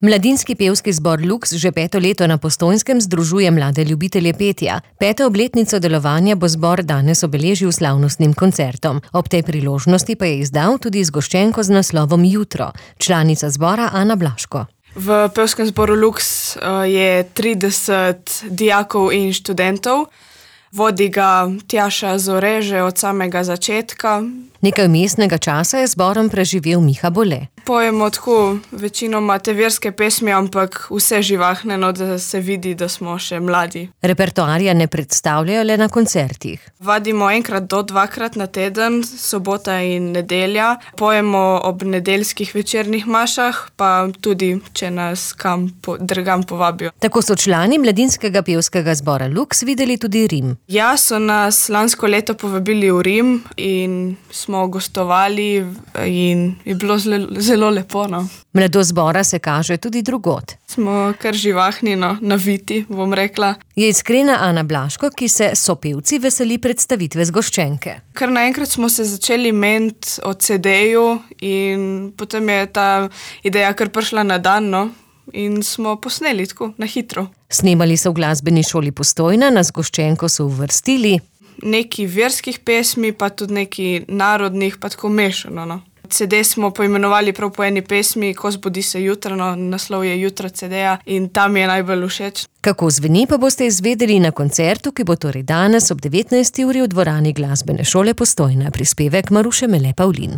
Mladinski pevski zbor Lux že 5. leto na Postojnskem združuje mlade ljubitelje petja. 5. obletnico delovanja bo zbor danes obeležil slavnostnim koncertom. Ob tej priložnosti pa je izdal tudi zgoščenko z naslovom Jutro. Članica zbora Ana Blaško. V pevskem zboru Lux je 30 dijakov in študentov. Vodi ga Tjaša Zore že od samega začetka. Nekaj vmesnega časa je zborom preživel Miha Bole. Pojemo tako večinoma te verske pesmi, ampak vse živahne, da se vidi, da smo še mladi. Repertoarja ne predstavljajo le na koncertih. Vadimo 1 do 2 na teden, sobota in nedelja. Pojemo ob nedeljskih večernih mašah, pa tudi, če nas kam drugam povabijo. Tako so člani mladinskega pevskega zbora Lux videli tudi Rim. Ja, so nas lansko leto povabili v Rim in smo gostovali in je bilo zelo lepo. Mladost zbora se kaže tudi drugod. Smo kar živahni, naviti, bom rekla. Je iskrena Ana Blaško, ki se sopevci veseli predstavitve zgoščenke. Kar naenkrat smo se začeli meniti o CD-ju in potem je ta ideja kar prišla na dan, in smo posneli tako, na hitro. Snemali so v glasbeni šoli Postojna, na zgoščenko so uvrstili nekaj verskih pesmi, pa tudi nekaj narodnih, pa tako mešano. CD smo poimenovali prav po eni pesmi, Ko zbudi se jutro, naslov je Jutro CD-ja in tam je najbolj všeč. Kako zveni, pa boste izvedeli na koncertu, ki bo torej danes ob 19. uri v dvorani glasbene šole Postojna. Prispevek Maruše Mele Pavlin.